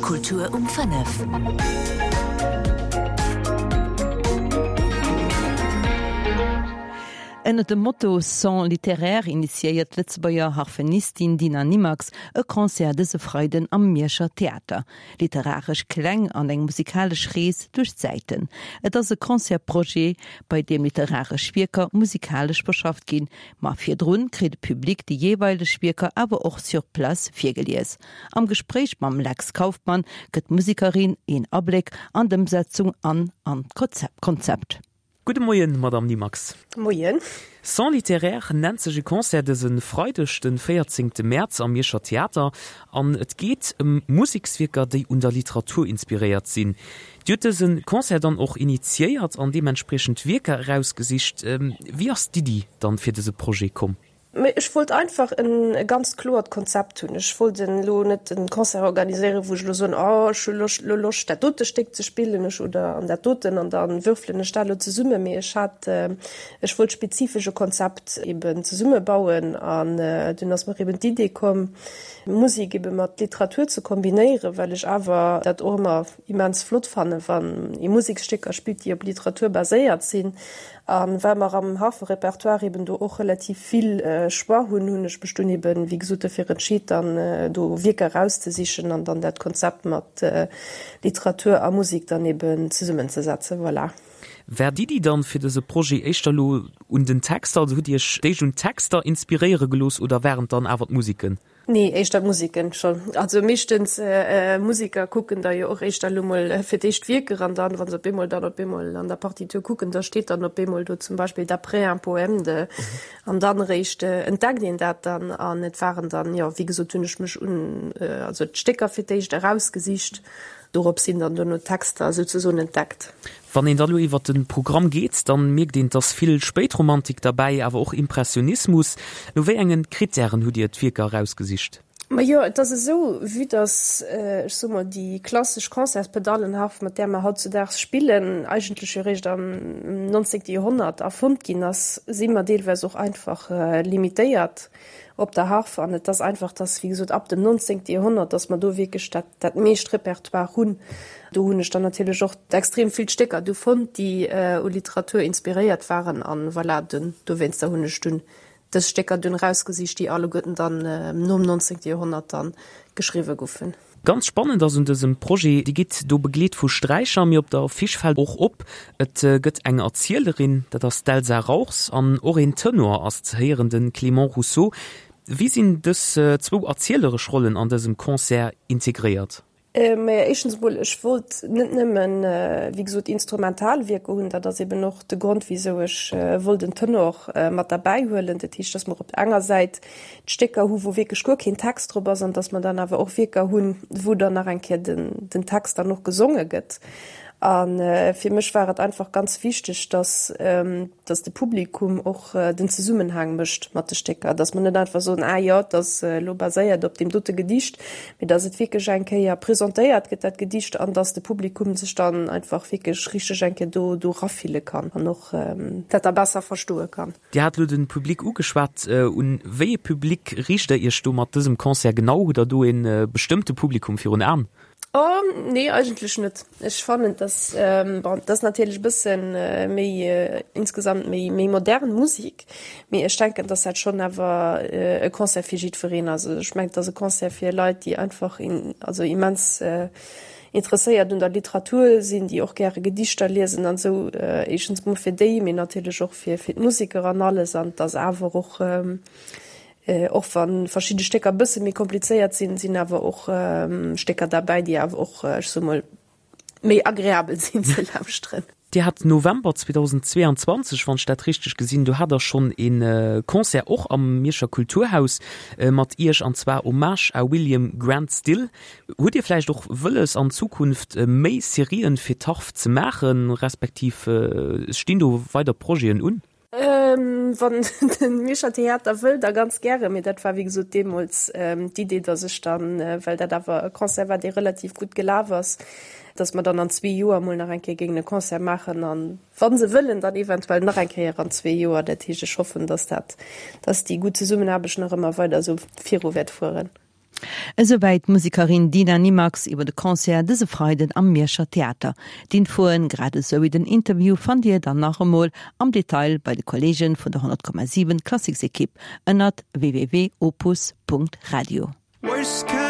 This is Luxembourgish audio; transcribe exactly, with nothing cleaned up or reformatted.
Kultur um fënnef. Ënnert dem Motto Sons littéraires initiéiert d'Lëtzebuerger Harfenistin Dina Nimax e Concert dëse Freiden am Mierscher Theater. Literaresch Kläng an eng musikalesch Rees duerch d'Zäiten. Et ass e Concertsprojet, bei deem literaresch Wierker musikalesch verschafft ginn, ma virdrun kritt de Public déi jeeweileg Wierker awer och sur place virgelies. Am Gespréich mam Lex Kauffmann gëtt d'Musekerin een Abléck an d'Ëmsetzung an an d'Konzept. Gudde Moien, Madamm Nimax. Moien. Sons littéraires nennt sech e Concert dëse Freideg, de véierzéngte Mäerz am Mierscher Theater an et geet ëm Musekswierker, déi un der Literatur inspiréiert sinn. Dir hutt dëse Concert dann och initiéiert an deementspriechend Wierker erausgesicht. Wéi ass d'Iddi dann fir dëse Projet komm? Mee ech wollt einfach en e ganz kloert Konzept hunn. Ech wollt elo net e Concert organiséieren, wou ech elo soen, oh ech hu Loscht, elo Loscht dat dote Stéck ze spillen, ech oder an dat doten an da würfelen ech dat elo zesummen. Mee ech hat, ech wollt spezifesch e Konzept eben zesummebauen an dunn ass mer eben d'Idee komm, Musek ebe mat Literatur ze kombinéieren, well ech awer dat och ëmmer immens flott fannen, wann ee Museksstécker spillt, déi op Literatur baséiert sinn. A well mer am Harferepertoire eben do och relativ vill Choix hunn, hunn ech mech dunn eben, wéi gesot, dofir entscheet, dann do Wierker erauszesichen an dann dat Konzept mat Literatur a Musek dann eben zesummenzesetzen. Voilà. War d'Iddi dann fir dëse Projet éischter elo un den Texter, also hutt Dir Iech d'éischt un d'Texter inspiréiere gelooss oder waren et dann awer d'Museken? Nee, éischter d'Museken schonn. Also meeschtens Museker kucken da jo och éischter elo mol fir d'éischt d'Wierker an dann, wa se op eemol dann op eemol an der Partitur kucken, da steet dann op eemol do zum Beispill d'après un poème de an dann eréischt entdeckt een dat dann. An et waren dann, jo, wéi gesot hunn ech mech un also d'Stécker fir d'éischt erausgesicht. Dorop sinn dann duerno d'Texter souzesoen entdeckt. Wann een da lo iwwer de Programm geet, dann mierkt een, et ass vill Spéitromantik derbäi, awer och Impressionismus. No wéi engen Krittären hutt Dir d'Wierker erausgesicht? Majo, et ass esou, vue dass, ech soe mol, déi klassesch Concertspedallenharf, mat där mer hautzudaags spillen, eigentlech jo eréischt am nonzéngte Joerhonnert erfonnt ginn ass, si mer deelweis och einfach limitéiert op der Harf. An et ass einfach, dass, wéi gesot, ab dem nonzéngte Joerhonnert, dass mer do wierklech dat, dat meescht Repertoire hunn. Do hunn ech dann natierlech och extrem vill Stécker du fonnt, déi u Literatur inspiréiert waren. An voilà, dunn, dowéinster hunn ech dunn dës Stécker dunn erausgesicht, déi alleguerten dann nom nonzéngte Joerhonnert dann geschriwwe goufen. Ganz spannend ass un dësem Projet, Dir gitt do begleet vu Sträicher, mee op der Affiche fält och op, et gëtt eng Erzielerin, dat ass d'Elsa Rauchs, an och een Tenor ass ze héieren, de Clément Rousseau. Wéi sinn dës zwou erzieleresch Rollen an dësem Concert integréiert? Maja, éischtens emol, ech wollt net nëmmen, wéi gesot, instrumental Wierker hunn. Dat ass eben och de Grond, wisou ech wollt en Tenor mat derbäi huelen. Dat heescht, dass mer op der enger Säit d'Stécker hu wou wierklech guer keen Text drop ass an dass mer dann awer och Wierker hunn, wou dann nach eng Kéier den, den Text dann och gesonge gëtt. A fir mech war et einfach ganz wichteg, dass, dass de Publikum och den Zesummenhang mécht mat de Stécker, dass mer net einfach soen, ah jo, et ass elo baséiert op deem dote Gedicht, mee dass et wierklech eng Kéier presentéiert gëtt, dat Gedicht, an dass de Publikum sech dann einfach wierklech richteg eng Kéier do, do erafille kann an och dat da besser verstoe kann. Dir hat elo de Public ugeschwat. Un wéi ee Public riicht Der Iech do mat dësem Concert genau? Hutt Der do ee bestëmmte Publikum virun Aen? Oh nee, eigentlech net. Ech fannen dass, bon, et ass natierlech e bësse méi insgesamt méi méi modern Musek, mee ech denken, dass dat schonn awer e Concert fir jiddwereen ass. Also ech mengen, et ass e Concert fir Leit, déi einfach also immens interesséiert un der Literatur sinn, déi och gäre Gedichter liesen an esou. Éischtens mol fir déi, mee natierlech och fir fir d'Museker an alles. An et ass awer och Och wa verschidde Stécker e bësse méi komplizéiert sinn, sinn awer och Stécker derbäi, déi awer och, ech soe mol, méi agreabel sinn ze lauschteren. Dir hat November zweedausendzweeanzwanzeg, wann ech dat richteg gesinn, do hat Der schonn ee Concert och am Mierscher Kulturhaus mat Iech, an zwar Hommage à William Grant Still. Hutt Dir vläicht och wëlles an Zukunft méi Serien fir d'Harf ze maachen, respektiv stinn do weider Projeten un? Wann de Mierscher Theater wëll, da ganz gäre. Mee dat war wéi gesot deemools d'Idee, datt ech dann, well dat awer e Concert war, dee relativ gutt gelaf ass, datt mer dann an zwee Joer emol nach eng Kéier géingen e Concert maachen. A wa se wëllen, dann eventuell nach eng Kéier an zwee Joer. Dat heescht, ech hoffen, datt dat, datt déi gutt Zesummenaarbecht nach ëmmer weider esou viru wäert fueren. Esouwäit d'Musekerin Dina Nimax iwwer de Concert dëse Freiden am Mierscher Theater. D'Infoen, grad esou wéi den Interview fannt Dir dann nach emol am Detail bei de Kolleegen vun der honnert Komma siwen Klassiksekipp ënnert www.opus.radio. Worst kind